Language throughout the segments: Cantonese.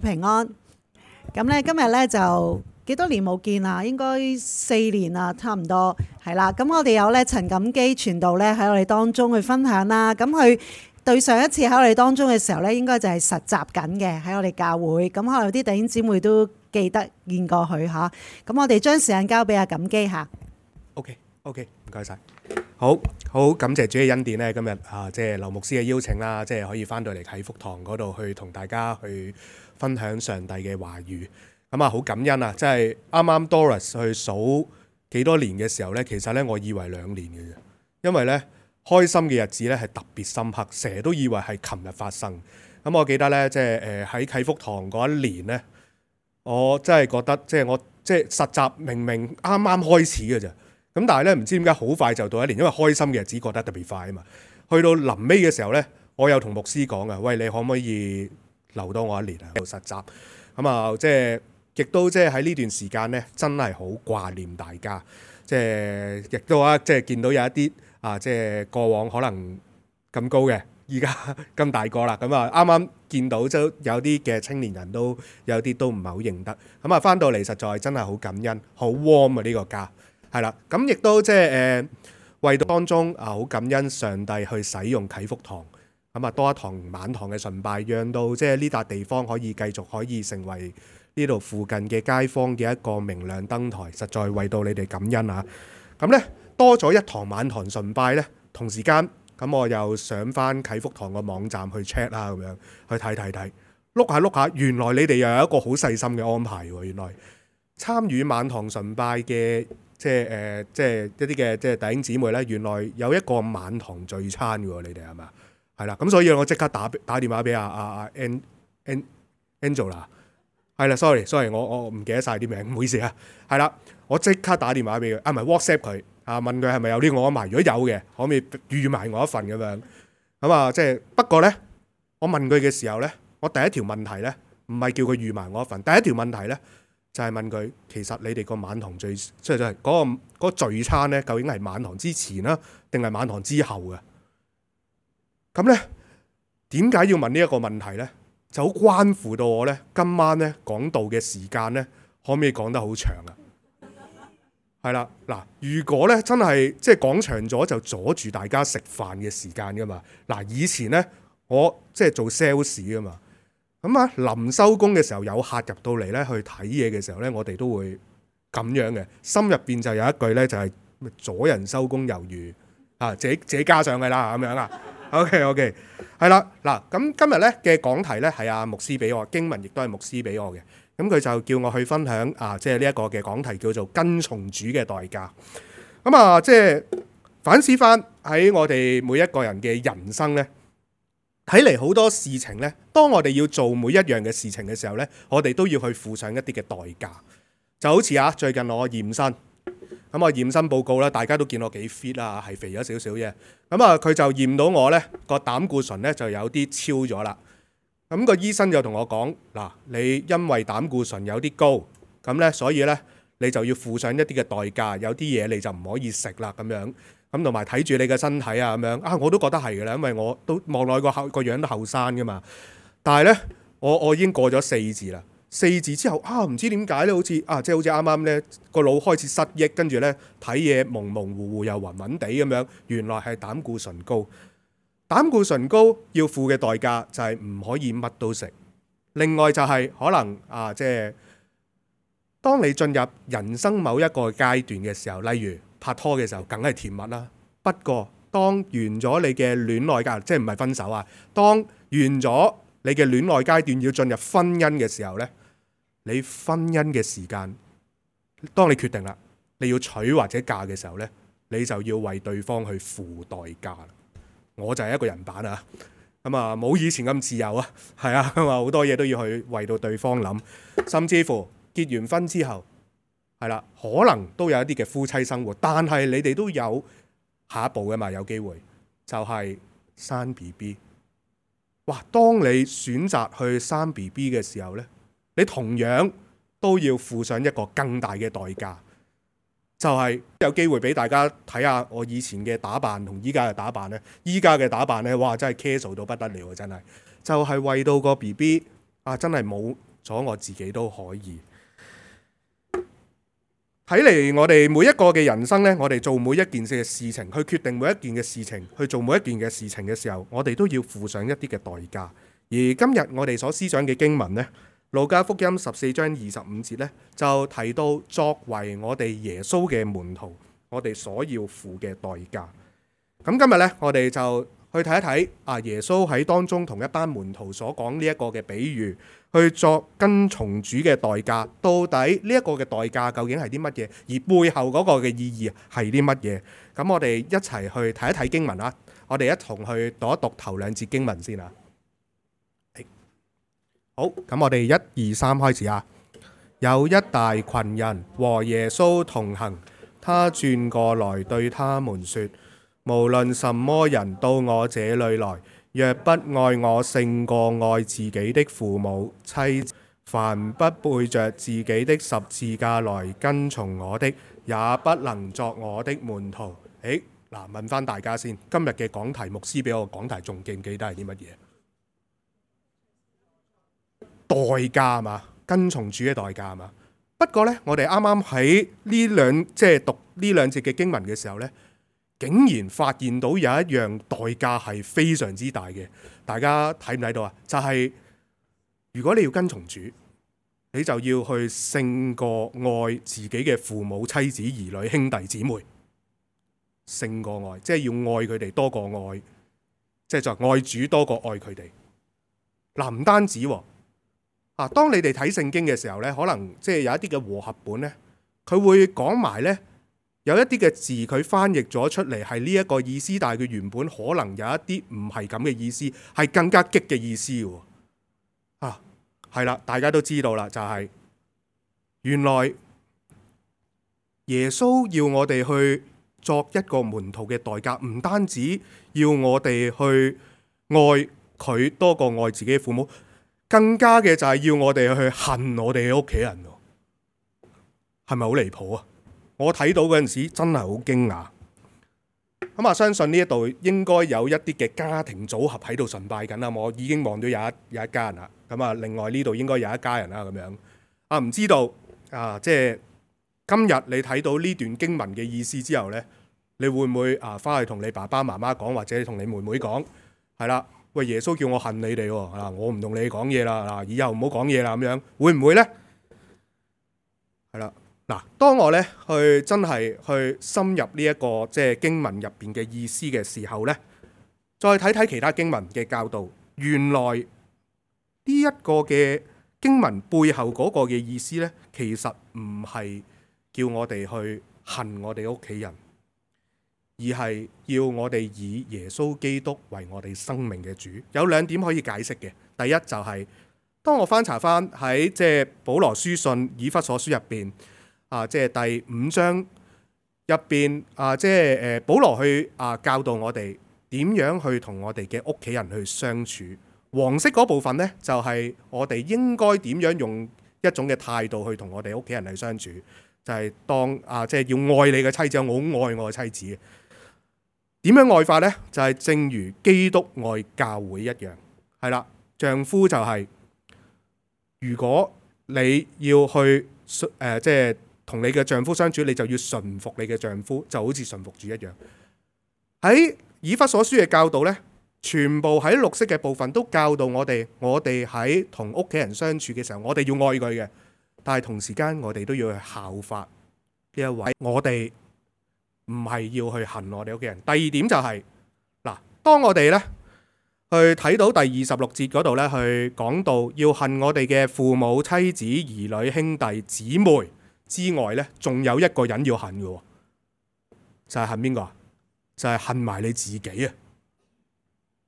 平安。咁咧今日咧就幾多年冇見啦，應該4年啦，差唔多係啦。咁我哋有咧陳錦基傳道咧喺我哋當中去分享啦。咁佢對上一次喺我哋當中嘅時候咧，應該就係實習緊嘅喺我哋教會。咁可能有啲弟兄姊妹都記得見過佢嚇。咁我哋將時間交俾阿錦基嚇。OK，唔該晒。好感謝主嘅恩典咧，今日即係劉牧師嘅邀請啦，即係可以翻到嚟啟福堂嗰度去同大家去分享上帝嘅話語。咁好感恩啊！即係啱啱 Doris 去數幾多年嘅時候咧，其實咧我以為2年嘅啫，因為咧開心嘅日子咧係特別深刻，成日都以為係琴日發生。咁我記得咧，即係喺啟福堂嗰一年咧，我真係覺得即係我即係實習明明啱啱開始嘅啫。咁但係咧，唔知點解好快就到1年，因為開心嘅日子過得特別快啊嘛。去到臨尾嘅時候咧，我有同牧師講啊，喂，你可唔可以留多我1年啊？做實習咁即係亦都即係喺呢段時間咧，真係好掛念大家。即係亦都即係見到有一啲即係過往可能咁高嘅，依家咁大個啦。咁啱啱見到就有啲嘅青年人都有啲都唔係好認得。咁翻到嚟實在真係好感恩，好 warm 啊呢個家。係啦，咁亦都即係為到當中好感恩上帝去使用啟福堂，咁多一堂晚堂嘅崇拜，讓到即係呢笪地方可以繼續可以成為呢度附近嘅街坊嘅一個明亮燈台，實在為到你哋感恩啊！咁呢多咗一堂晚堂崇拜呢，同時間咁我又上翻啟福堂個網站去 check 啦，咁樣去睇，碌下，原來你哋又有一個好細心嘅安排喎！原來參與晚堂崇拜嘅。即係一啲嘅即係弟兄姊妹咧，原來有一個晚堂聚餐嘅喎，你哋係咪？係啦，咁所以我即刻打電話俾阿 Angela， 係啦 ，sorry， 我唔記得晒啲名，唔好意思啊。係啦，我即刻打電話俾佢，唔係 WhatsApp 佢問佢係咪有呢個安排，如果有嘅，可唔可以預埋我一份咁樣？咁即係不過咧，我問佢嘅時候咧，我第一條問題咧，唔係叫佢預埋我一份，第一條問題咧。就係問佢，其實你哋個晚堂聚，即係嗰個聚餐咧，究竟係晚堂之前啦，定係晚堂之後嘅？咁咧，點解要問呢一個問題咧？就好關乎到我咧，今晚咧講道嘅時間咧，可唔可以講得好長啊？係啦，嗱，如果咧真係即係講長咗，就阻住大家食飯嘅時間噶嘛。嗱，以前咧我即係做 sales 噶嘛。咁臨收工嘅時候有客入到嚟咧，去睇嘢嘅時候咧，我哋都會咁樣嘅，心入邊就有一句咧，就係阻人收工猶如自己加上去啦咁樣啊。OK， 係啦，嗱，咁今日咧嘅講題咧係阿牧師俾我，經文亦都係牧師俾我嘅，咁佢就叫我去分享即係呢一個嘅講題叫做跟從主嘅代價。咁即係反思翻喺我哋每一個人嘅人生咧。睇嚟好多事情呢，當我哋要做每一樣嘅事情嘅時候呢，我哋都要去付上一啲嘅代價。就好似最近我驗身，咁我驗身報告咧，大家都見我幾 fit 啦，係肥咗少少啫。咁佢就驗到我呢個膽固醇呢就有啲超咗啦。咁個醫生就同我講：嗱，你因為膽固醇有啲高，咁呢所以呢你就要付上一啲嘅代價，有啲嘢你就唔可以食啦咁樣。咁同埋睇住你嘅身體咁樣我都覺得係嘅啦，因為我都望落個樣都後生噶嘛。但係咧，我已經過咗4字啦。4字之後唔知點解咧，好似即係好似啱啱咧個腦開始失憶，跟住咧睇嘢模模糊糊又暈暈地咁樣。原來係膽固醇高。膽固醇高要付嘅代價就係唔可以乜都食。另外就係可能即係當你進入人生某一個階段嘅時候，例如拍拖嘅時候梗係甜蜜啦，不過當完咗你嘅戀愛階段，即係唔係分手當完咗你嘅戀愛階段要進入婚姻嘅時候呢，你婚姻嘅時間，當你決定啦，你要娶或者嫁嘅時候呢，你就要為對方去付代價。我就係一個人版冇以前咁自由係好多嘢都要去為到對方諗，甚至乎結完婚之後係啦，可能都有一啲嘅夫妻生活，但係你哋都有下一步嘅嘛，有機會就係生 BB。哇！當你選擇去生 BB 嘅時候呢，你同樣都要付上一個更大嘅代價，就係有機會俾大家睇下我以前嘅打扮同依家嘅打扮呢。依家嘅打扮呢，哇！真係 casual 到不得了，真係就係為到個 BB 真係冇咗我自己都可以。睇嚟我哋每一個嘅人生呢，我哋做每一件事情，去決定每一件嘅事情，去做每一件嘅事情嘅時候，我哋都要付上一啲嘅代價。而今日我哋所思想嘅經文呢，路加福音14章25節呢，就提到作為我哋耶穌嘅門徒，我哋所要付嘅代價。咁今日呢，我哋就去睇一睇耶穌喺當中同一班門徒所講呢一個嘅比喻，去作跟從主嘅代價。到底呢一個嘅代價究竟係啲乜嘢？而背後嗰個嘅意義係啲乜嘢？咁我哋一齊去睇一睇經文啦。我哋一同去讀一讀頭兩節經文先啊。好，咁我哋1、2、3開始啊。有一大群人和耶穌同行，他轉過來對他們說：無論什麼人到我這裏來，若不愛我勝過愛自己的父母、妻子，凡不背着自己的十字架來跟從我的，也不能作我的門徒。問翻大家先，今日嘅講題，牧師俾我講題仲記唔記得係啲乜嘢？代價嘛，跟從主嘅代價嘛。不過呢，我哋啱啱喺讀呢兩節嘅經文嘅時候呢，竟然發現到有一樣代價係非常之大嘅。大家睇唔睇到啊？就係如果你要跟從主，你就要去勝過愛自己嘅父母、妻子、兒女、兄弟姊妹。勝過愛，即係要愛佢哋多過愛，即係就愛主多過愛佢哋。唔單止喎。當你哋睇聖經嘅時候呢，可能即係有一啲嘅和合本呢，佢會講埋呢，有一啲嘅字佢翻譯咗出嚟係呢一個意思，但係佢原本可能有一啲唔係咁嘅意思，係更加激嘅意思喎。係啦，大家都知道啦，就係原來耶穌要我哋去作一個門徒嘅代價，唔單止要我哋去愛佢多過愛自己嘅父母。更加嘅就係要我哋去恨我哋嘅屋企人，係咪好離譜啊？我睇到嗰陣時真係好驚訝。咁相信呢一度應該有一啲嘅家庭組合喺度崇拜緊啦。我已經望到有一家人啦。另外呢度應該有一家人啦。咁樣唔知道即係今日你睇到呢段經文嘅意思之後呢，你會唔會翻去同你爸爸媽媽講，或者同你妹妹講？係啦。喂，耶穌叫我恨你哋喎，我唔同你講嘢啦，以後唔好講嘢啦，咁樣會唔會呢？係啦，當我呢去真係去深入呢一個即係經文入邊嘅意思嘅時候呢，再睇睇其他經文嘅教導，原來呢一個嘅經文背後嗰個嘅意思呢，其實唔係叫我哋去恨我哋屋企人。而係要我哋以耶穌基督為我哋生命嘅主。有兩點可以解釋嘅。第一就係當我翻查翻喺即係保羅書信以弗所書入邊即係第5章入邊即係保羅去教導我哋點樣去同我哋嘅屋企人去相處。黃色嗰部分呢，就係我哋應該點樣用一種嘅態度去同我哋屋企人去相處，就係當即係要愛你嘅妻子，我好愛我嘅妻子。點樣愛法呢？就係正如基督愛教會一樣，係啦。丈夫就係如果你要去即係同你嘅丈夫相處，你就要順服你嘅丈夫，就好似順服主一樣。喺以弗所書嘅教導呢，全部喺綠色嘅部分都教導我哋喺同屋企人相處嘅時候，我哋要愛佢嘅，但係同時間我哋都要去效法呢一位我哋。唔係要去恨我哋屋企人。第二點就係當我哋呢去睇到第26節嗰度呢，去講到要恨我哋嘅父母、妻子、兒女、兄弟、姊妹之外呢，仲有一個人要恨嘅，就係恨邊個啊？就係恨埋你自己啊！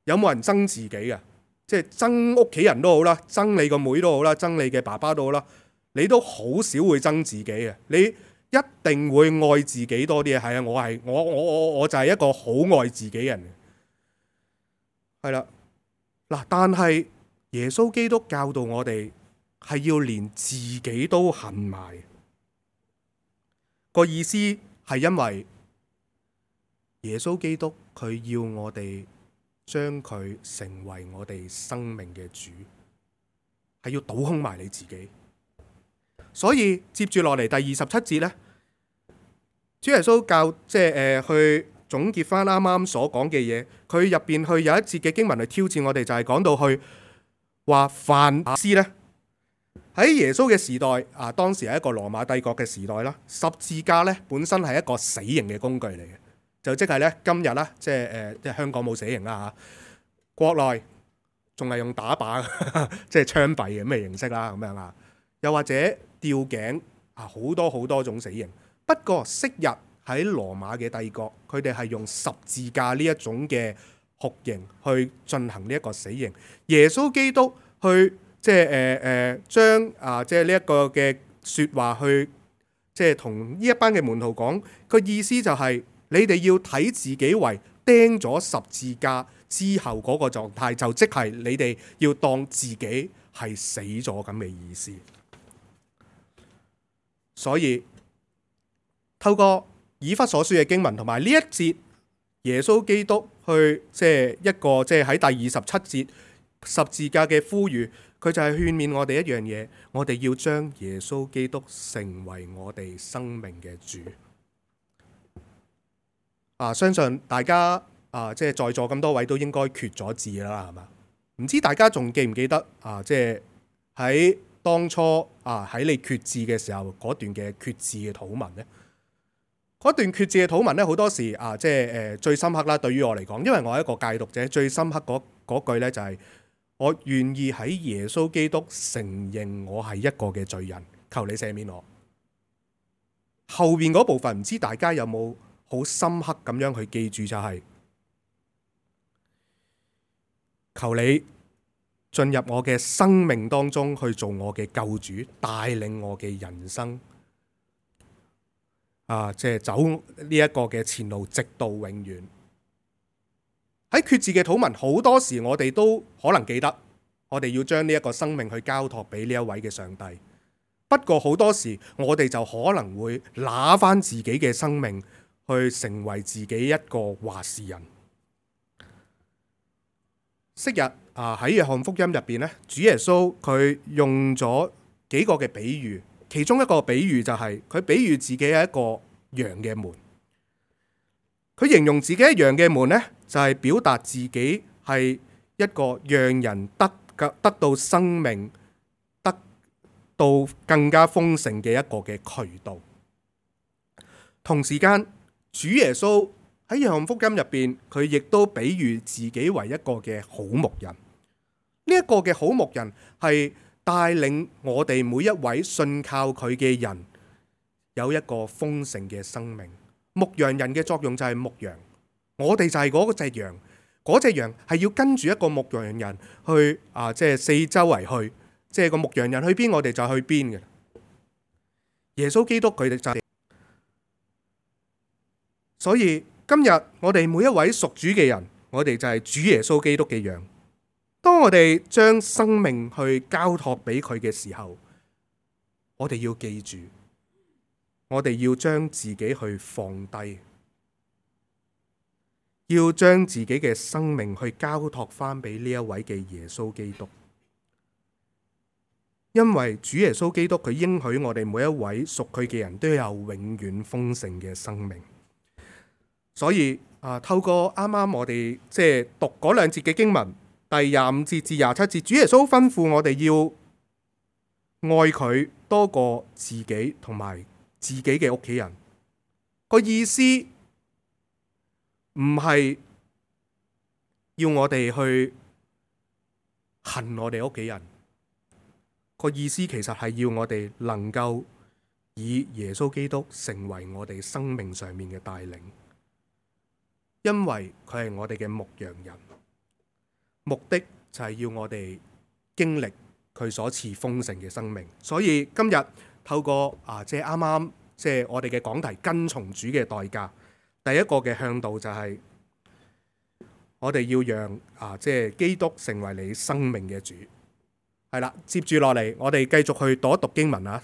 有冇人憎自己啊？即係憎屋企人都好啦，憎你個妹都好啦，憎你嘅爸爸都好啦，你都好少會憎自己嘅。你一定會愛自己多啲嘅。係啊，我就係一個好愛自己嘅人。係啦，但係耶穌基督教導我哋係要連自己都恨埋。個意思係因為耶穌基督佢要我哋將佢成為我哋生命嘅主。係要倒空埋你自己。所以接住落嚟第27節呢，主耶穌教去總結翻啱啱所講嘅嘢，佢入邊去有一節嘅經文去挑戰我哋，就係講到去話凡事呢，喺耶穌嘅時代當時係一個羅馬帝國嘅時代啦，十字架呢本身係一個死刑嘅工具嚟嘅，就即係呢，今日啦，即係香港冇死刑啦嚇，國內仲係用打靶即係槍斃嘅咩形式啦咁樣啊，又或者吊頸好多好多種死刑。不過昔日喺羅馬嘅帝國，佢哋係用十字架呢一種嘅酷刑去進行呢一個死刑。耶穌基督去將呢一個嘅説話去同呢一班嘅門徒講，個意思就係你哋要睇自己為釘咗十字架之後嗰個狀態，就即係你哋要當自己係死咗咁嘅意思。所以透過以弗所書嘅經文同埋呢一節耶穌基督去一個喺第27節十字架嘅呼籲，佢就係勸勉我哋一樣嘢，我哋要將耶穌基督成為我哋生命嘅主。相信大家在座咁多位都應該決咗志啦，係嘛？唔知大家仲記唔記得喺當初喺你決志嘅時候嗰段嘅決志嘅禱文呢？嗰段決志嘅禱文呢，好多時最深刻啦。對於我嚟講，因為我係一個戒毒者，最深刻嗰句呢就係我願意喺耶穌基督承認我係一個嘅罪人，求你赦免我。後邊嗰部分唔知大家有冇好深刻咁樣去記住，就係求你進入我嘅生命當中去做我嘅救主，帶領我嘅人生走呢一個嘅前路，直到永遠。喺決志嘅禱文，好多時我哋都可能記得，我哋要將呢一個生命去交託俾呢一位嘅上帝。不過好多時我哋就可能會拿翻自己嘅生命去成為自己一個話事人。昔日喺約翰福音入邊咧，主耶穌佢用咗幾個嘅比喻，其中一個比喻就係佢比喻自己係一個羊嘅門。佢形容自己係羊嘅門呢，就係表達自己係一個讓人得到生命、得到更加豐盛嘅一個嘅渠道。同時間，主耶穌喺約翰福音入邊，佢亦都比喻自己為一個嘅好牧人。呢一個嘅好牧人係帶領我哋每一位信靠佢嘅人有一個豐盛嘅生命。牧羊人嘅作用就係牧羊，我哋就係嗰隻羊，嗰隻羊係要跟住一個牧羊人去四周圍去，即係個牧羊人去邊，我哋就去邊嘅。耶穌基督佢哋就係，所以今日我哋每一位屬主嘅人，我哋就係主耶穌基督嘅羊。當我哋將生命去交託俾佢嘅時候，我哋要記住，我哋要將自己去放低，要將自己嘅生命去交託翻俾呢一位嘅耶穌基督。因為主耶穌基督佢應許我哋每一位屬佢嘅人都有永遠豐盛嘅生命。所以透過啱啱我哋讀嗰兩節嘅經文，第25節至27節，主耶穌吩咐我哋要愛佢多過自己同埋自己嘅屋企人。個意思唔係要我哋去恨我哋屋企人，個意思其實係要我哋能夠以耶穌基督成為我哋生命上面嘅帶領，因為佢係我哋嘅牧羊人，目的就係要我哋經歷佢所賜豐盛嘅生命。所以今日透過啱啱我哋嘅講題跟從主嘅代價，第一個嘅向導就係我哋要讓基督成為你生命嘅主。係啦，接住落嚟我哋繼續去讀一讀經文啊，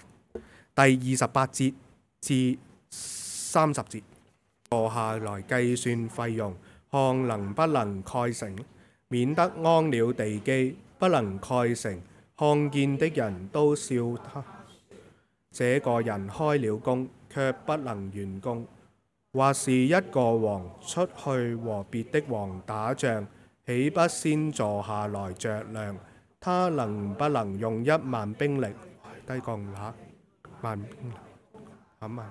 第28節至30節，坐下來計算費用，看能不能蓋成，免得安了地基不能蓋成，看見的人都笑他。這個人開了工，卻不能完工。或是一個王出去和別的王打仗，豈不先坐下來酌量，他能不能用10000兵力低降10000兵力？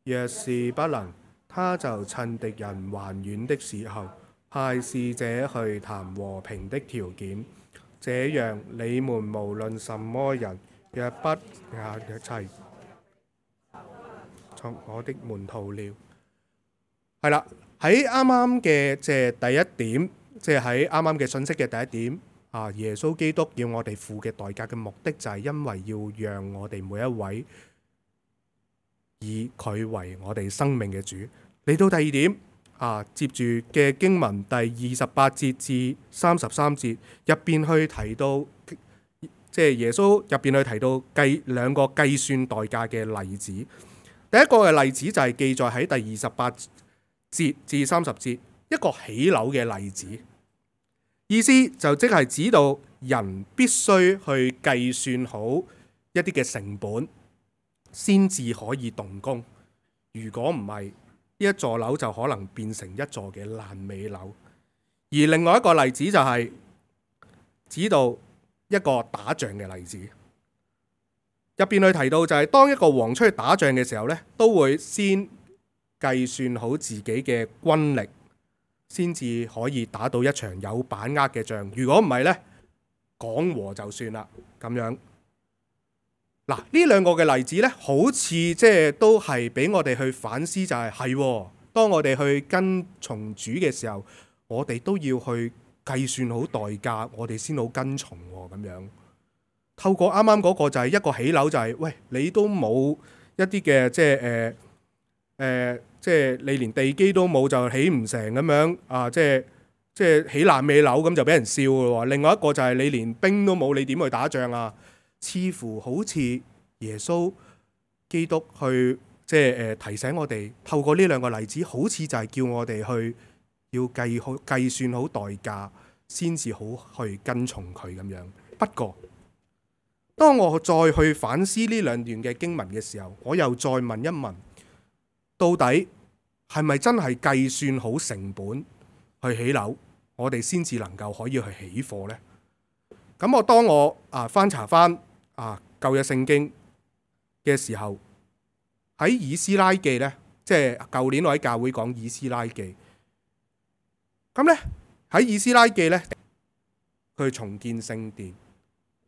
若是不能，他就趁敵人還遠的時候，派使者去談和平的條件。這樣，你們無論什麼人，若不也一齊作我的門徒了。係啦，喺啱啱嘅即係第一點，即係喺啱啱嘅信息嘅第一點啊，耶穌基督要我哋付嘅代價嘅目的就係因為要讓我哋每一位以佢為我哋生命嘅主。嚟到第二點啊，接住嘅經文第28節至33節入邊去提到，即係耶穌入邊去提到兩個計算代價嘅例子。第一個嘅例子就係記載喺第28節至30節，一個起樓嘅例子，意思就即係指到人必須去計算好一啲嘅成本，先至可以動工。如果唔係，呢一座樓就可能變成一座嘅爛尾樓。而另外一個例子就係指到一個打仗嘅例子，入邊去提到就係當一個王出去打仗嘅時候呢，都會先計算好自己嘅軍力，先至可以打到一場有把握嘅仗。如果唔係呢，講和就算啦咁樣。嗱，呢兩個嘅例子呢，好似即係都係俾我哋去反思，就係當我哋去跟從主嘅時候，我哋都要去計算好代價，我哋先好跟從咁樣。透過啱啱嗰個就係一個起樓，就係喂，你都冇一啲嘅即係你連地基都冇就起唔成咁樣啊！即係起爛尾樓咁就俾人笑咯。另外一個就係你連兵都冇，你點去打仗啊？似乎好似耶穌基督去即係提醒我哋，透過呢兩個例子，好似就係叫我哋去要計算好代價，先至好去跟從佢咁樣。不過，當我再去反思呢兩段嘅經文嘅時候，我又再問一問，到底係咪真係計算好成本去起樓，我哋先至能夠可以去起貨呢？咁當我翻查翻舊約聖經嘅時候，喺以斯拉記呢，即係舊年我喺教會講以斯拉記，咁呢，喺以斯拉記呢，佢重建聖殿，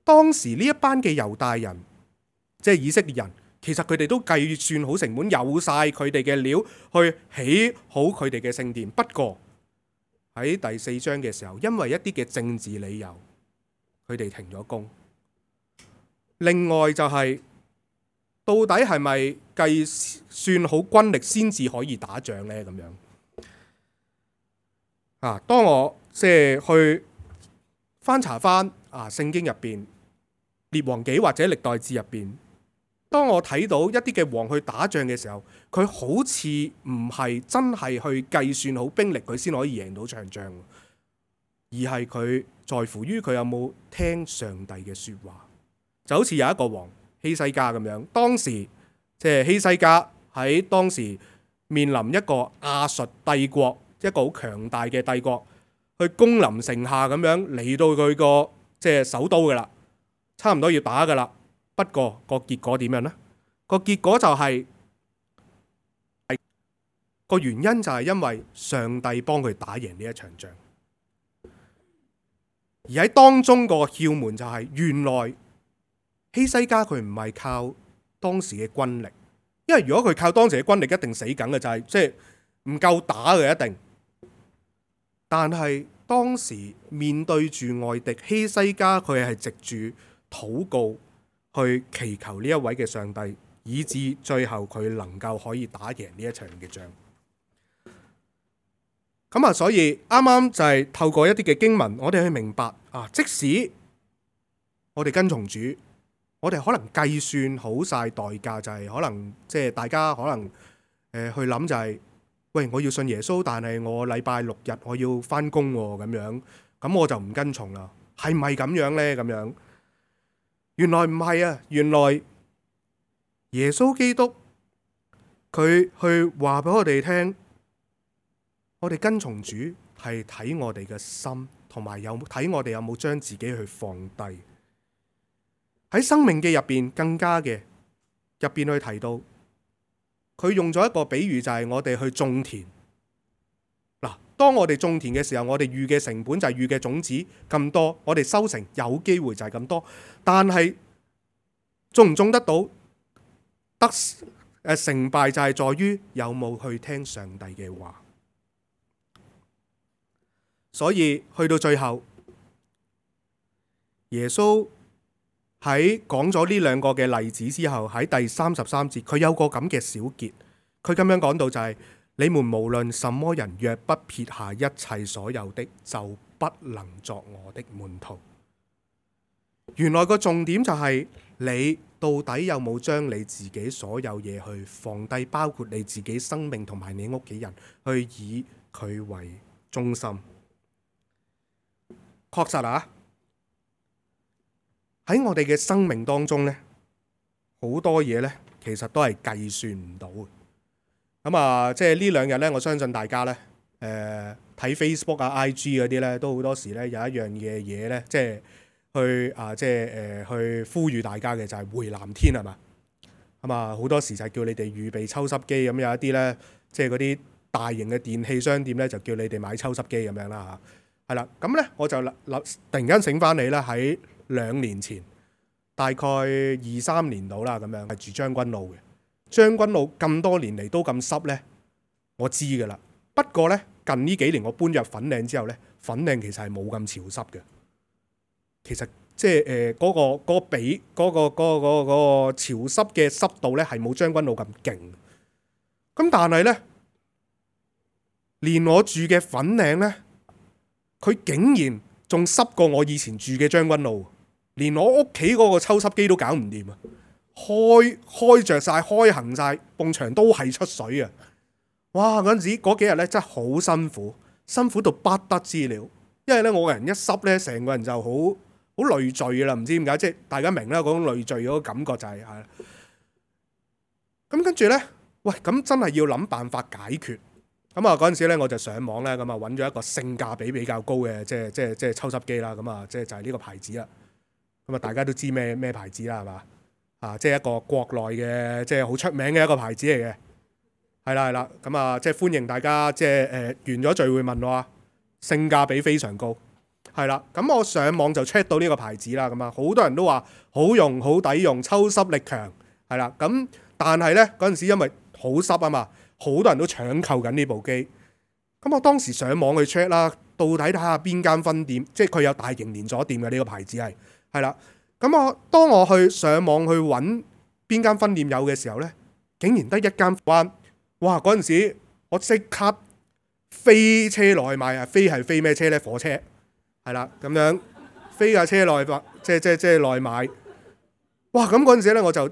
當時呢一班嘅猶大人，即係以色列人，其實佢哋都計算好成本，有晒佢哋嘅料去起好佢哋嘅聖殿。不過喺第4章嘅時候，因為一啲嘅政治理由，佢哋停咗工。另外就係到底係咪計算好軍力先至可以打仗呢？咁樣當我即係去翻查翻聖經入邊列王紀或者歷代志入邊，當我睇到一啲嘅王去打仗嘅時候，佢好似唔係真係去計算好兵力，佢先可以贏到場仗，而係佢在乎於佢有冇聽上帝嘅說話。就好似有一個王希西家咁樣，當時即係希西家喺當時面臨一個亞述帝國，一個好強大嘅帝國去攻臨城下咁樣嚟到佢個即係首都噶啦，差唔多要打噶啦。不過個結果點樣呢？個結果就係個原因就係因為上帝幫佢打贏呢一場仗，而喺當中個竅門就係原來希西家佢唔係靠當時嘅軍力，因為如果佢靠當時嘅軍力，一定死梗嘅，就係即係唔夠打嘅一定。但係當時面對住外敵，希西家佢係藉住禱告去祈求呢一位嘅上帝，以致最後佢能夠可以打贏呢一場嘅仗。咁所以啱啱就係透過一啲嘅經文，我哋去明白即使我哋跟從主，我哋可能計算好晒代價，就係可能即係大家可能去諗就係，喂，我要信耶穌，但係我禮拜6日我要翻工咁樣，咁我就唔跟從啦。係咪咁樣呢？咁樣原來唔係啊，原來耶穌基督佢去話俾我哋聽，我哋跟從主係睇我哋嘅心，同埋睇我哋有冇將自己去放低。喺申命記入邊更加嘅入邊去提到，佢用咗一個比喻，就係我哋去種田。嗱，當我哋種田嘅時候，我哋預嘅成本就係預嘅種子咁多，我哋收成有機會就係咁多，但係種唔種得到，成敗就係在於有冇去聽上帝嘅話。所以去到最後，耶穌喺講咗呢兩個嘅例子之後，喺第33節，佢有個咁嘅小結，佢咁樣講到就係：你們無論什麼人，若不撇下一切所有的，就不能作我的門徒。原來個重點就係你到底有冇將你自己所有嘢去放低，包括你自己生命同埋你屋企人，去以佢為中心。確實啊，喺我哋嘅生命當中呢，好多嘢呢其實都係計算唔到嘅。咁啊，即係呢兩日呢，我相信大家呢，睇 Facebook 啊、IG 嗰啲呢，都好多時呢有一樣嘅嘢呢，即係去呼籲大家嘅就係回南天係嘛。咁啊，好多時就係叫你哋預備抽濕機，咁有一啲呢，即係嗰啲大型嘅電器商店呢，就叫你哋買抽濕機咁樣啦嚇。係啦，咁咧我就突然間醒翻你啦，喺2年前，大概2-3年到啦，咁樣係住將軍澳嘅。將軍澳咁多年嚟都咁濕咧，我知㗎啦。不過咧，近呢幾年我搬入粉嶺之後咧，粉嶺其實係冇咁潮濕嘅。其實即係嗰個潮濕嘅濕度咧，係冇將軍澳咁勁。咁但係咧，連我住嘅粉嶺咧，佢竟然仲濕過我以前住嘅將軍澳，連我屋企嗰個抽濕機都搞唔掂啊！開着晒，開行晒，埲牆都係出水啊！哇！嗰幾日咧真係好辛苦，辛苦到不得之了。因為咧我個人一濕咧，成個人就好累贅啦，唔知點解，即係大家明啦，嗰種累贅嗰個感覺就係咁跟住咧，喂，咁真係要諗辦法解決。咁啊嗰陣時咧，我就上網咧，咁啊揾咗一個性價比比較高嘅，即係抽濕機啦。咁啊，即係就係呢個牌子啦。咁啊，大家都知咩牌子啦，係嘛？啊，即係一個國內嘅，即係好出名嘅一個牌子嚟嘅。係啦。咁啊，即係歡迎大家，即係完咗聚會問我啊，性價比非常高。係啦，咁我上網就 check 到呢個牌子啦。咁啊，好多人都話好用、好抵用、抽濕力強。係啦，咁但係咧嗰陣時因為好濕啊嘛。好多人都搶購緊呢部機，咁我當時上網去 check 啦，到底睇下邊間分店，即係佢有大型連鎖店嘅呢個牌子係啦。咁當我去上網去揾邊間分店有嘅時候呢，竟然得一間灣。哇！嗰陣時我即刻飛車內買啊，飛咩車呢？火車係啦，咁樣飛架車內即係內買。哇！咁嗰陣時呢，我就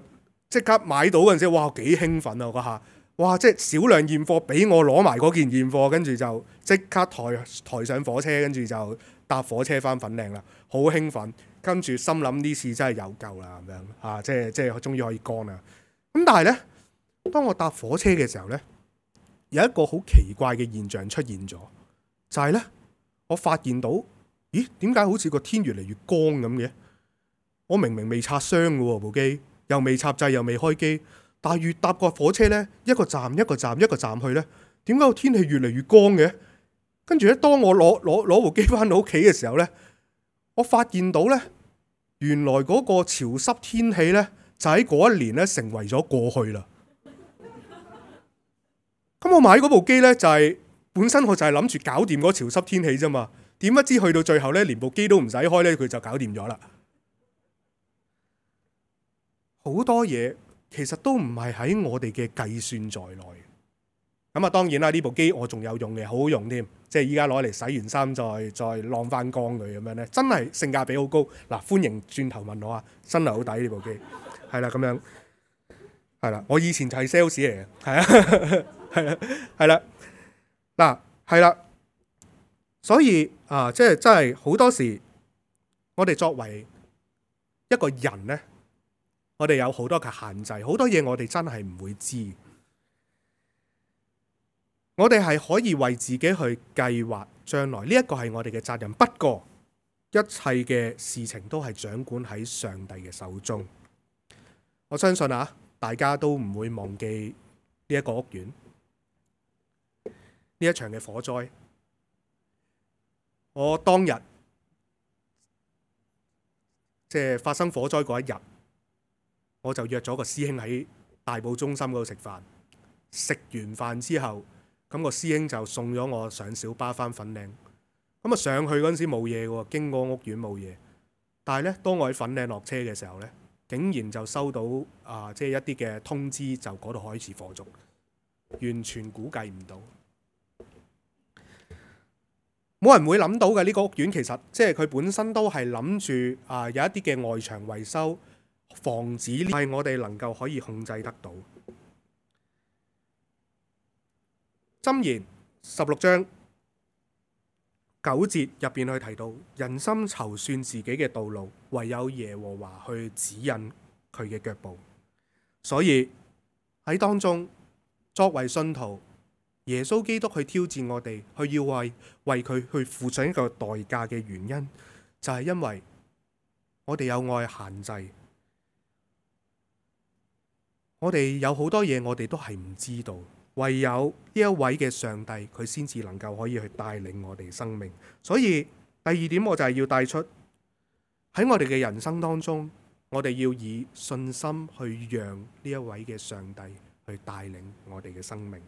即刻買到嗰陣時，哇！幾興奮啊嗰下！哇！即係少量現貨，俾我攞埋嗰件現貨，跟住就即刻抬上火車，跟住就搭火車翻粉嶺啦，好興奮。跟住心諗呢次真係有救啦，咁樣啊，即係終於可以乾啦。咁但係呢，當我搭火車嘅時候呢，有一個好奇怪嘅現象出現咗，就係呢，我發現到，咦？點解好似個天越嚟越光咁嘅？我明明未拆箱嘅喎，部機又未插掣，又未開機。但係越搭個火車咧，一個站去咧，點解個天氣越嚟越光嘅？跟住咧，當我攞部機翻到屋企嘅時候咧，我發現到咧，原來嗰個潮濕天氣咧，就喺嗰一年咧成為咗過去啦。咁我買嗰部機咧，就係本身我就係諗住搞掂嗰潮濕天氣啫嘛。點不知去到最後咧，連部機都唔使開咧，佢就搞掂咗啦。好多嘢。其實都唔係喺我哋嘅計算在內。咁啊，當然啦，呢部機我仲有用嘅，好好用添。即係依家攞嚟洗完衫再晾翻乾佢咁樣咧，真係性價比好高。嗱，歡迎轉頭問我啊，真係好抵呢部機。係啦，咁樣係啦，我以前就係 sales 嚟嘅，係啊，係啦，嗱，係啦。所以啊，即係真係好多時，我哋作為一個人呢，我哋有好多嘅限制，好多嘢我哋真係唔會知。我哋係可以為自己去計劃將來，呢一個係我哋嘅責任。不過一切嘅事情都係掌管喺上帝嘅手中。我相信啊，大家都唔會忘記呢一個屋苑，呢一場嘅火災。我當日即係發生火災嗰一日，我就約咗個師兄喺大埔中心嗰度食飯。食完飯之後，咁個師兄就送咗我上小巴返粉嶺。咁啊上去嗰陣時冇嘢喎，經過屋苑冇嘢。但係咧，當我喺粉嶺落車嘅時候咧，竟然就收到即係一啲嘅通知，就嗰度開始火燭，完全估計唔到。冇人會諗到嘅，呢個屋苑其實即係佢本身都係諗住有一啲嘅外牆維修，防止呢係我哋能夠可以控制得到。箴言16章9節入邊去提到，人心籌算自己嘅道路，唯有耶和華去指引佢嘅腳步。所以喺當中，作為信徒，耶穌基督去挑戰我哋，去要為佢去付上一個代價嘅原因，就係因為我哋有愛限制，我哋有好多嘢我哋都係唔知道。唯有呢一位嘅上帝，佢先至能夠可以去帶領我哋生命。所以第二點，我就係要帶出喺我哋嘅人生當中，我哋要以信心去讓呢一位嘅上帝去帶領我哋嘅生命。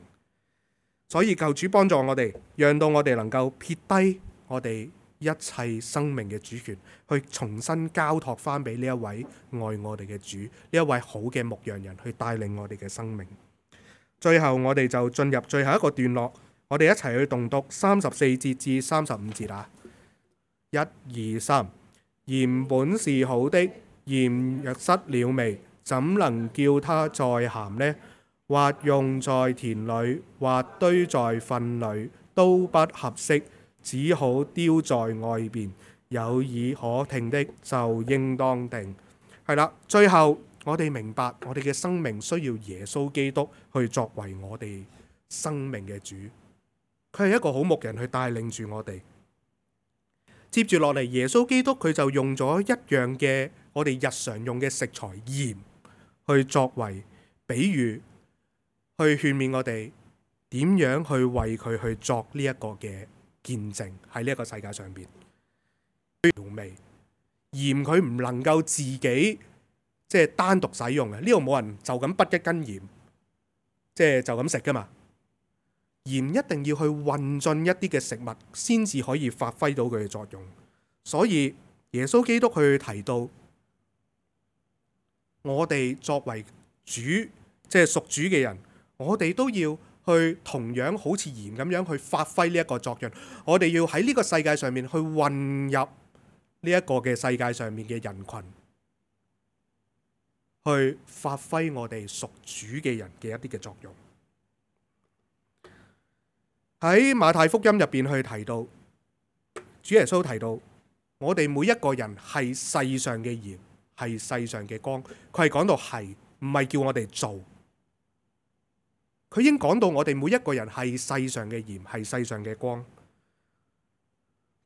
所以求主幫助我哋，讓到我哋能夠撇低我哋一切生命嘅主權，去重新交託翻俾呢一位愛我哋嘅主，呢一位好嘅牧羊人去帶領我哋嘅生命。最後我哋就進入最後一個段落，我哋一齊去讀34節至35節啊！1、2、3，鹽本是好的，鹽若失了味，怎能叫它再鹹呢？或用在田裏，或堆在糞裏，都不合適，只好丟在外邊。有耳可聽的就應當聽。係啦，最後我哋明白，我哋嘅生命需要耶穌基督去作為我哋生命嘅主。佢係一個好牧人去帶領住我哋。接住落嚟，耶穌基督佢就用咗一樣嘅我哋日常用嘅食材鹽去作為比喻，去勸勉我哋點樣去為佢去作呢一個嘅見證喺呢一個世界上邊。調味鹽佢唔能夠自己即係單獨使用嘅，呢度冇人就咁滗一斤鹽，即係就咁食噶嘛。鹽一定要去混進一啲嘅食物，先至可以發揮到佢嘅作用。所以耶穌基督去提到，我哋作為主，即係屬主嘅人，我哋都要去同樣好似鹽咁樣去發揮呢一個作用。我哋要喺呢個世界上面去混入呢一個嘅世界上面嘅人群，去發揮我哋屬主嘅人嘅一啲嘅作用。喺馬太福音入邊去提到，主耶穌提到，我哋每一個人係世上嘅鹽，係世上嘅光。佢係講到係，唔係叫我哋做。佢已經講到我哋每一個人係世上嘅鹽，係世上嘅光。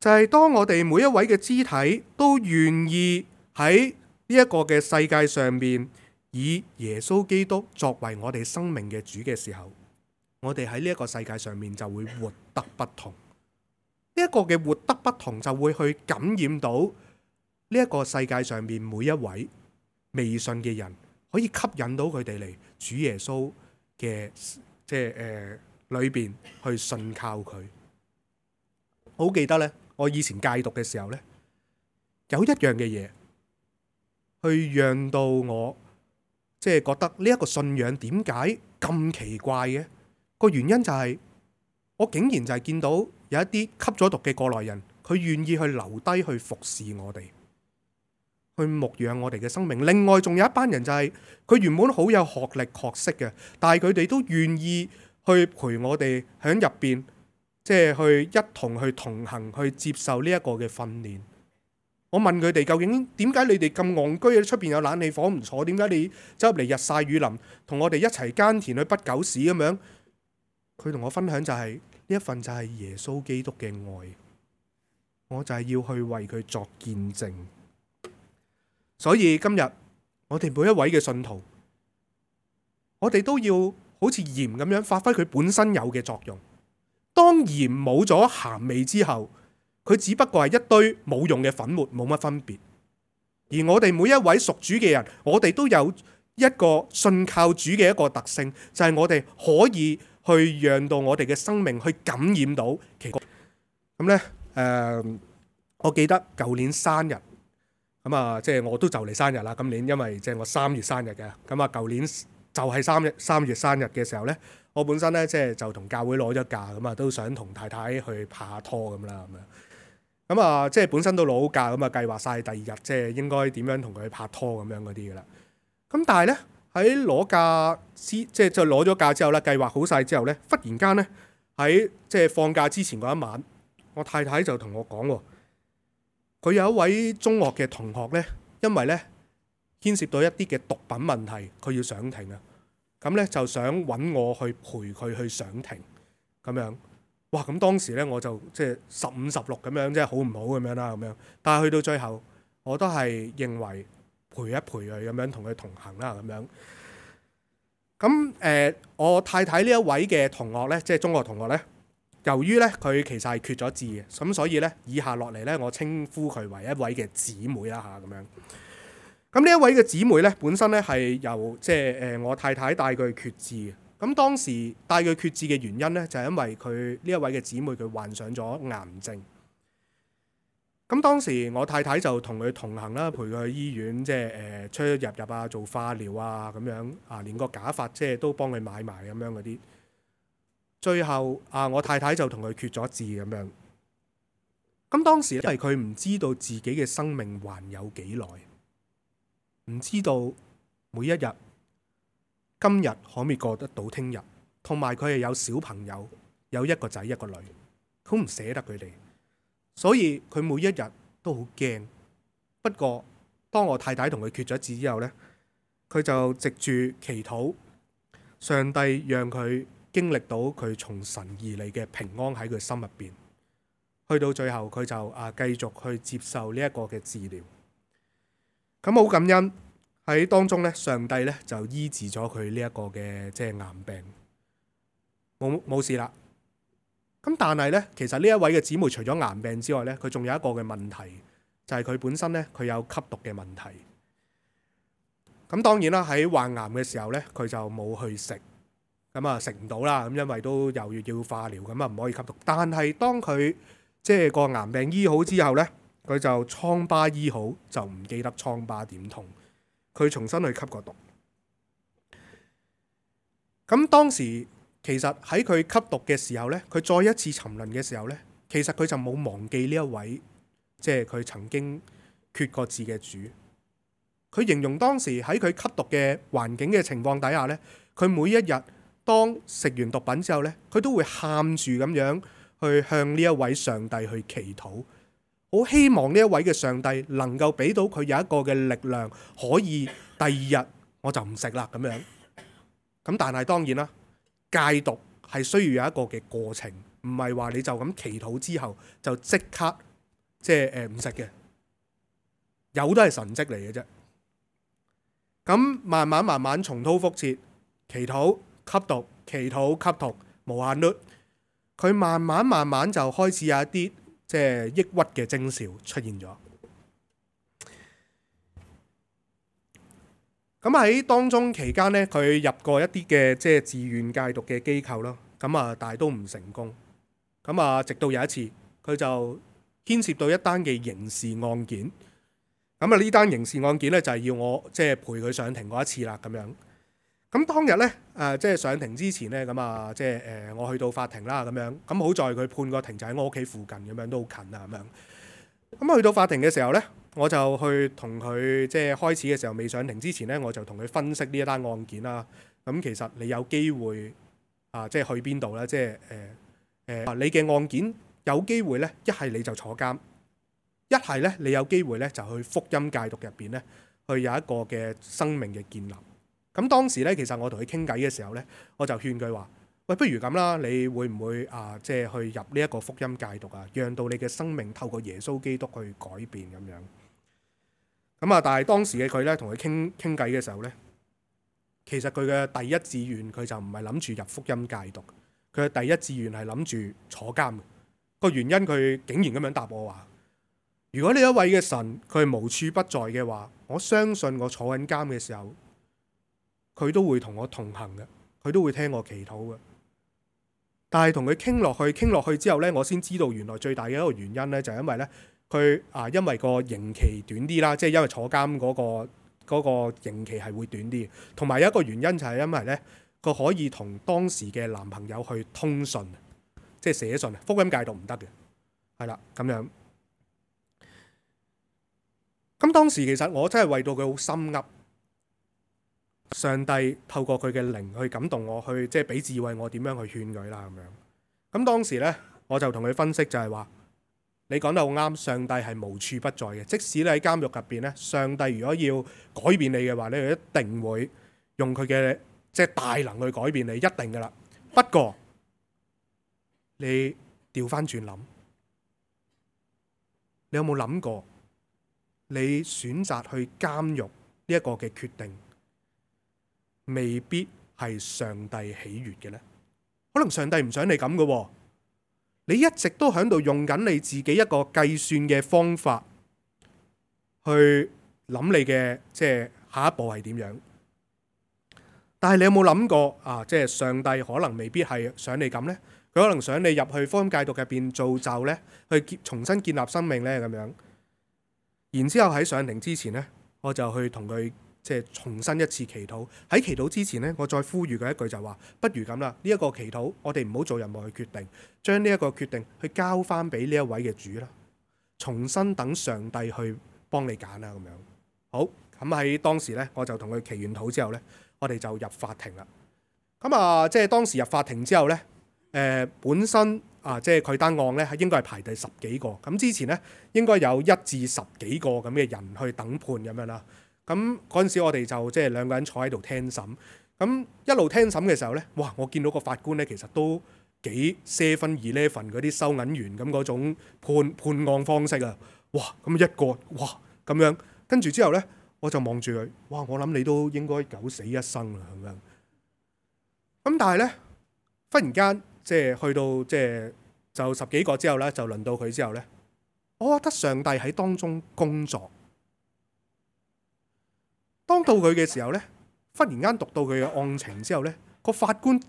就係當我哋每一位嘅肢體都願意喺呢一個嘅世界上面以耶穌基督作為我哋生命嘅主嘅時候，我哋喺呢一個世界上面就會活得不同。呢一個嘅活得不同就會去感染到呢一個世界上面每一位未信嘅人，可以吸引到佢哋嚟主耶穌嘅裏邊去信靠佢。好記得呢，我以前戒毒嘅時候呢，有一樣嘅嘢去讓到我覺得呢一個信仰點解咁奇怪嘅？個原因就係我竟然就係見到有一啲吸咗毒嘅過來人，佢願意去留低去服侍我哋，去牧養我哋嘅生命。另外仲有一班人就係佢原本好有學歷學識嘅，但係佢哋都願意去陪我哋喺入邊，去一同去同行，去接受呢一個嘅訓練。我問佢哋究竟點解你哋咁戇居嘅？出邊有冷氣房唔坐，點解你走入嚟日曬雨淋，同我哋一齊耕田去不狗屎咁樣？佢同我分享就係呢一份就係耶穌基督嘅愛，我就係要去為佢作見證。所以今日我哋每一位嘅信徒，我哋都要好似鹽咁樣發揮佢本身有嘅作用。當鹽冇咗鹹味之後，佢只不過係一堆冇用嘅粉末，冇乜分別。而我哋每一位屬主嘅人，我哋都有一個信靠主嘅一個特性，就係我哋可以去讓到我哋嘅生命去感染到其他。咁咧，我記得舊年生日，咁啊，即係我都就嚟生日啦。今年因為即係我3月生日嘅，咁啊，舊年就係3月生日嘅時候咧，我本身咧即係就同教會攞咗假，咁啊都想同太太去拍下拖咁啦，咁樣。咁啊，即係本身都攞好假，咁啊計劃晒第二日即係應該點樣同佢拍拖咁樣嗰啲噶啦。咁但係咧喺攞假即係就攞咗假之後咧，計劃好晒之後咧，忽然間咧喺即係放假之前嗰一晚，我太太就同我講喎，佢有一位中學嘅同學咧，因為咧牽涉到一啲嘅毒品問題，佢要上庭啊。咁咧就想揾我去陪佢去上庭咁樣。哇！咁當時咧我就即係15、16咁樣，即係好唔好咁樣啦咁樣。但係去到最後，我都係認為陪一陪佢咁樣，同佢同行啦咁樣。咁我太太呢一位嘅同學咧，即係中學同學咧，由於咧佢其實係缺咗字嘅，咁所以咧以下落嚟咧，我稱呼佢為一位嘅姊妹啦嚇咁樣。咁呢一位嘅姊妹咧，本身咧係由即係我太太帶佢去決志嘅。咁當時帶佢決志嘅原因咧，就係因為佢呢一位嘅姊妹佢患上咗癌症。咁當時我太太就同佢同行啦，陪佢去醫院，即係出入啊，做化療啊咁樣啊，連個假髮即係都幫佢買埋咁樣嗰啲。最後啊，我太太就同佢決咗志咁樣。咁當時因為佢唔知道自己嘅生命還有幾耐，唔知道每一日今日可唔可以過得到聽日，同埋佢係有小朋友，有一個仔一個女，好唔捨得佢哋，所以佢每一日都好驚。不過當我太太同佢決咗志之後呢，佢就藉住祈禱，上帝讓佢經歷到佢從神而嚟嘅平安喺佢心入邊。去到最後佢就繼續去接受呢一個嘅治療。咁好感恩喺當中咧，上帝咧就醫治咗佢呢一個嘅即係癌病，冇事啦。咁但係咧，其實呢一位嘅姊妹除咗癌病之外咧，佢仲有一個嘅問題，就係佢本身咧佢有吸毒嘅問題。咁當然啦，喺患癌嘅時候咧，佢就冇去食，咁啊食唔到啦。咁因為都又要化療，咁啊唔可以吸毒。但係當佢即係個癌病醫好之後咧，佢就瘡疤醫好，就唔記得瘡疤點痛。佢重新去吸個毒。咁當時其實喺佢吸毒嘅時候呢，佢再一次沉淪嘅時候呢，其實佢就冇忘記呢一位，即係佢曾經決過志嘅主。佢形容當時喺佢吸毒嘅環境嘅情況底下呢，佢每一日當食完毒品之後呢，佢都會喊住咁樣去向呢一位上帝去祈禱。好希望呢一位嘅上帝能夠俾到佢有一個嘅力量，可以第二日我就唔食啦咁樣。咁但係當然啦，戒毒係需要有一個嘅過程，唔係話你就咁祈禱之後就即刻即係唔食嘅，有都係神蹟嚟嘅啫。咁慢慢重蹈覆轍，祈禱吸毒，祈禱吸毒，無限率，佢慢慢就開始有一啲即係抑鬱嘅徵兆出現咗。咁喺當中期間呢，佢入過一啲嘅即係自願戒毒嘅機構咯。咁啊，但係都唔成功。咁啊，直到有一次，佢就牽涉到一單嘅刑事案件。咁啊，呢單刑事案件呢，就係要我即係陪佢上庭嗰一次啦。咁樣。咁當日呢，即係上庭之前呢，咁啊，即係我去到法庭啦，咁樣。咁好在佢判個庭就喺我屋企附近，咁樣都好近啊，咁樣。咁去到法庭嘅時候呢，我就去同佢即係開始嘅時候未上庭之前呢，我就同佢分析呢一單案件啦。咁其實你有機會即係去邊度呢？即係你嘅案件有機會呢，一係你就坐監，一係咧你有機會咧就去福音戒毒入邊咧，去有一個嘅生命嘅建立。咁當時咧，其實我同佢傾偈嘅時候咧，我就勸佢話：喂，不如咁啦，你會唔會即係去入呢一個福音戒毒啊？讓到你嘅生命透過耶穌基督去改變咁樣。咁但係當時嘅佢咧，同佢傾偈嘅時候咧，其實佢嘅第一志願佢就唔係諗住入福音戒毒，佢嘅第一志願係諗住坐監。個原因佢竟然咁樣答我話：如果呢一位嘅神佢係無處不在嘅話，我相信我坐緊監嘅時候，佢都會同我同行嘅，佢都會聽我祈禱嘅。但係同佢傾落去之後呢，我先知道原來最大嘅一個原因呢，就係因為呢，佢因為個刑期短啲啦，即係因為坐監嗰個刑期係會短啲，同埋有一個原因就係因為呢，佢可以同當時嘅男朋友去通訊，即係寫信。福音戒毒唔得嘅，係啦咁樣。咁當時其實我真係為到佢好心噏。上帝透過佢嘅靈去感動我，去即係俾智慧我點樣去勸佢啦咁樣。咁當時呢，我就同佢分析就係話：你講得好啱，上帝係無處不在嘅。即使你喺監獄入邊呢，上帝如果要改變你嘅話，你一定會用佢嘅即係大能去改變你，一定噶啦。不過你調翻轉諗，你有冇諗過你選擇去監獄呢一個嘅決定，未必係上帝喜悅嘅呢？可能上帝唔想你咁嘅喎，你一直都喺度用緊你自己一個計算嘅方法去諗你嘅即係下一步係點樣。但係你有冇諗過即係上帝可能未必係想你咁呢？佢可能想你入去福音戒毒入邊造就呢，去重新建立生命呢咁樣。然之後喺上庭之前呢，我就去同佢即係重新一次祈禱。喺祈禱之前呢，我再呼籲佢一句就話：不如咁啦，呢一個祈禱我哋唔好做任何嘅決定，將呢一個決定去交翻俾呢一位嘅主啦，重新等上帝去幫你揀啦咁樣。好，咁喺當時呢，我就同佢祈完禱之後呢，我哋就入法庭啦。咁即係當時入法庭之後呢，本身即係佢單案呢，應該係排第10幾個。咁之前呢，應該有1至10幾個咁嘅人去等判咁樣啦。咁嗰陣時我哋就即係2個人坐喺度聽審。咁一路聽審嘅時候呢，哇！我見到個法官呢，其實都幾 7-11嗰啲收銀員咁嗰種判案方式啊。哇！咁一個哇咁樣，跟住之後呢，我就望住佢，哇！我諗你都應該九死一生啦咁樣。咁但係呢，忽然間即係去到即係就10幾個之後呢，就輪到佢之後呢，我覺得上帝喺當中工作。當到佢嘅時候呢，忽然間讀到佢嘅案情之後呢，個法官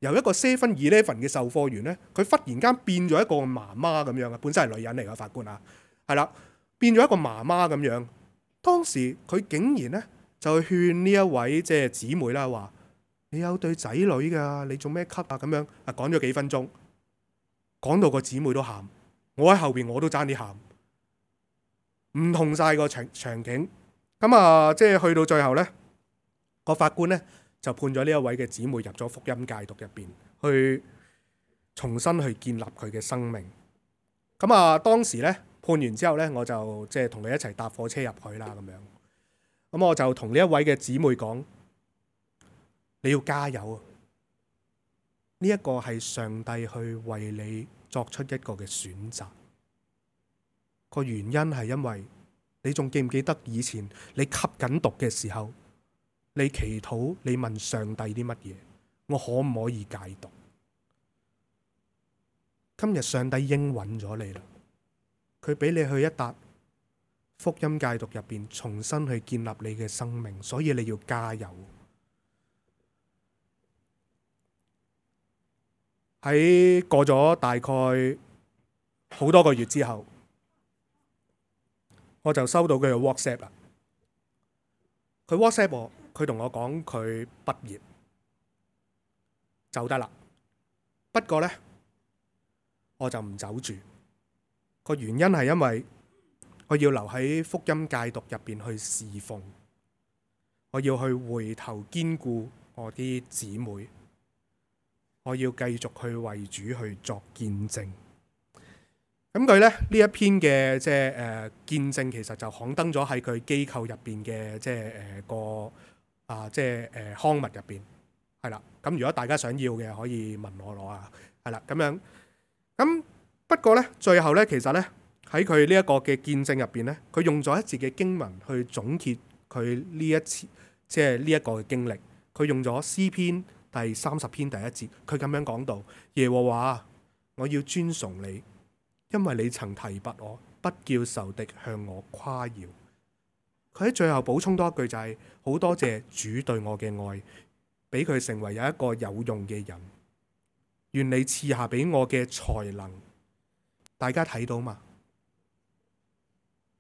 由一個7-11嘅售貨員呢，佢忽然間變咗一個媽媽咁樣啊！本身係女人嚟嘅法官啊，係啦，變咗一個媽媽咁樣。當時佢竟然呢，就勸呢一位即係姊妹啦，話：你有對仔女㗎，你做咩咳啊？咁樣講咗幾分鐘，講到個姊妹都喊，我喺後邊我都爭啲喊，唔同晒個場景。咁即係去到最後呢，個法官呢就判咗呢一位嘅姊妹入咗福音戒毒入邊，去重新去建立佢嘅生命。咁當時呢，判完之後呢，我就即係同佢一齊搭火車入去啦咁樣。咁我就同呢一位嘅姊妹講：你要加油啊！呢一個係上帝去為你作出一個嘅選擇。個原因係因為你仲記唔記得以前你吸緊毒嘅時候，你祈禱，你問上帝啲乜嘢？我可唔可以戒毒？今日上帝應允咗你啦，佢俾你去一笪福音戒毒入邊，重新去建立你嘅生命，所以你要加油。喺過咗大概好多個月之後，我就收到佢嘅 WhatsApp 啦。佢 WhatsApp 我，佢同我講佢畢業走得啦。不過呢，我就唔走住。個原因係因為我要留喺福音戒毒入邊去侍奉，我要去回頭堅固我啲姊妹，我要繼續去為主去作見證。咁佢咧呢一篇嘅即係見證，其實就刊登咗喺佢機構入邊嘅即係刊物入邊，係啦。咁如果大家想要嘅，可以問我攞啊，係啦咁樣。咁不過咧，最後咧，其實咧喺佢呢一個嘅見證入邊咧，佢用咗一節嘅經文去總結佢呢一次即係呢一個嘅經歷。佢用咗詩篇第30篇第1節，佢咁樣講到：耶和華，我要尊崇你，因為你曾提拔我，不叫仇敵向我誇耀。佢喺最後補充多一句就係：好多謝主對我嘅愛，俾佢成為有一個有用嘅人。願你賜下俾我嘅才能。大家睇到嘛？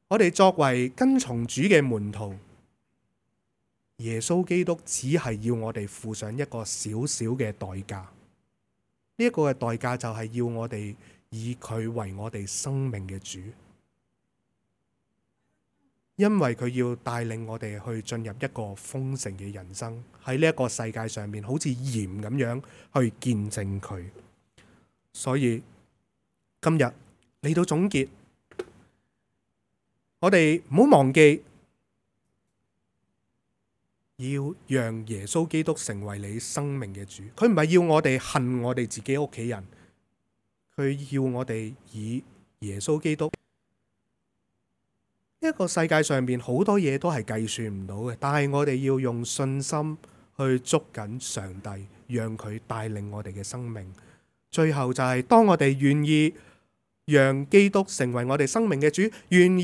我哋作為跟從主嘅門徒，耶穌基督只係要我哋付上一個小小嘅代價。呢一個嘅代價就係要我哋以佢為我哋生命嘅主，因為佢要帶領我哋去進入一個豐盛嘅人生，喺呢一個世界上面好似鹽咁樣去見證佢。所以今日嚟到總結，我哋唔好忘記要讓耶穌基督成為你生命嘅主。佢唔係要我哋恨我哋自己屋企人，佢要我哋以耶穌基督。呢一個世界上面好多嘢都係計算唔到嘅，但係我哋要用信心去捉緊上帝，讓佢帶領我哋嘅生命。最後就係當我哋願意讓基督成為我哋生命嘅主，願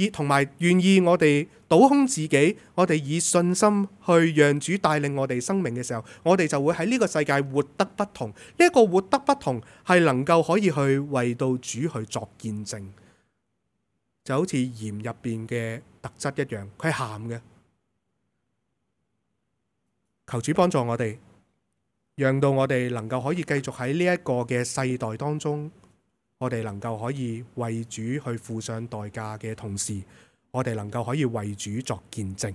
意我哋倒空自己，我哋以信心去讓主帶領我哋生命嘅時候，我哋就會喺呢個世界活得不同。呢一個活得不同係能夠可以去為到主去作見證，就好似鹽入邊嘅特質一樣，佢係鹹嘅。求主幫助我哋，讓到我哋能夠可以繼續喺呢一個嘅世代當中，我哋能夠可以為主去付上代價嘅同時，我哋能夠可以為主作見證。